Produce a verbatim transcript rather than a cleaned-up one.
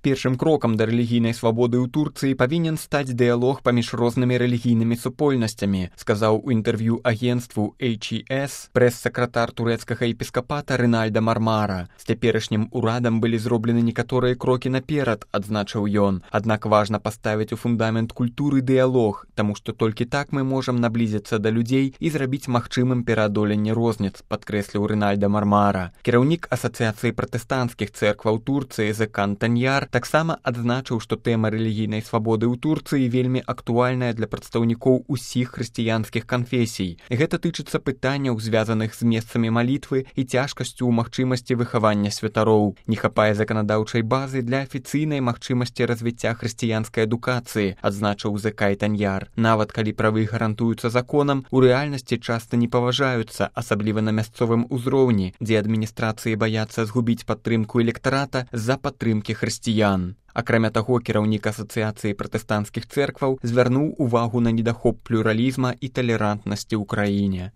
Першым крокам да рэлігійнай свабоды ў Турцыі павінен стаць дыялог паміж рознымі рэлігійнымі супольнасцямі, сказаў у інтэрв'ю агенцтву эйч і эс прэс-сакратар турэцкага епіскапата Рынальда Мармара. З цяперашнім урадам былі зроблены некаторыя крокі наперад, адзначыў ён. Аднак важна паставіць у фундамент культуры дыялог, таму што толькі так мы можам наблізіцца да людзей і зрабіць магчымым пераадоленне розніц, падкрэсліў Рынальда Мармара. Кіраўнік асацыяцыі пратэстанцкіх цэркваў Турцыі Зекан Таньяр таксама адзначыў, што тэма рэлігійнай свабоды ў Турцыі вельмі актуальная для прадстаўнікоў усіх хрысціянскіх канфесій. Гэта тычыцца пытанняў, звязаных з месцамі малітвы і цяжкасцю ў магчымасці выхавання святароў. Не хапае заканадаўчай базы для афіцыйнай магчымасці развіцця хрысціянскай адукацыі, адзначыў Зекай Таньяр. Нават калі правы гарантуюцца законам, у рэальнасці часта не паважаюцца, асабліва на мясцовым узроўні, дзе адміністрацыі баяцца згубіць падтрымку электарата з-за падтрымкі хрысціян. Акрамя таго, кіраўнік асацыяцыі пратэстанцкіх цэркваў звярнуў увагу на недахоп плюралізма і талерантнасці ў краіне.